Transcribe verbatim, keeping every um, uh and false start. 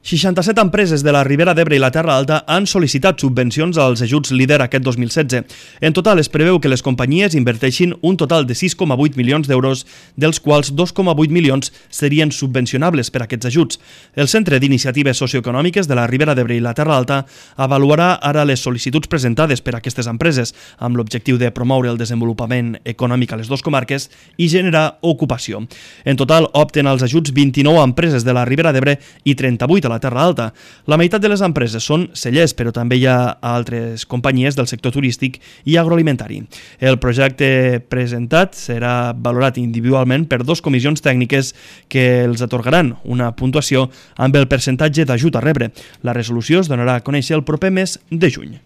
seixanta-set empreses de la Ribera d'Ebre i la Terra Alta han sol·licitat subvencions als ajuts líder aquest dos mil setze. En total es preveu que les companyies inverteixin un total de sis coma vuit milions d'euros, dels quals dos coma vuit milions serien subvencionables per a aquests ajuts. El Centre d'Iniciatives Socioeconòmiques de la Ribera d'Ebre i la Terra Alta avaluarà ara les sol·licituds presentades per a aquestes empreses, amb l'objectiu de promoure el desenvolupament econòmic a les dues comarques i generar ocupació. En total opten als ajuts vint-i-nou empreses de la Ribera d'Ebre i trenta-vuit a la Terra Alta. La meitat de les empreses són cellers, però també hi ha altres companyies del sector turístic i agroalimentari. El projecte presentat serà valorat individualment per dues comissions tècniques que els atorgaran una puntuació amb el percentatge d'ajut a rebre. La resolució es donarà a conèixer el proper mes de juny.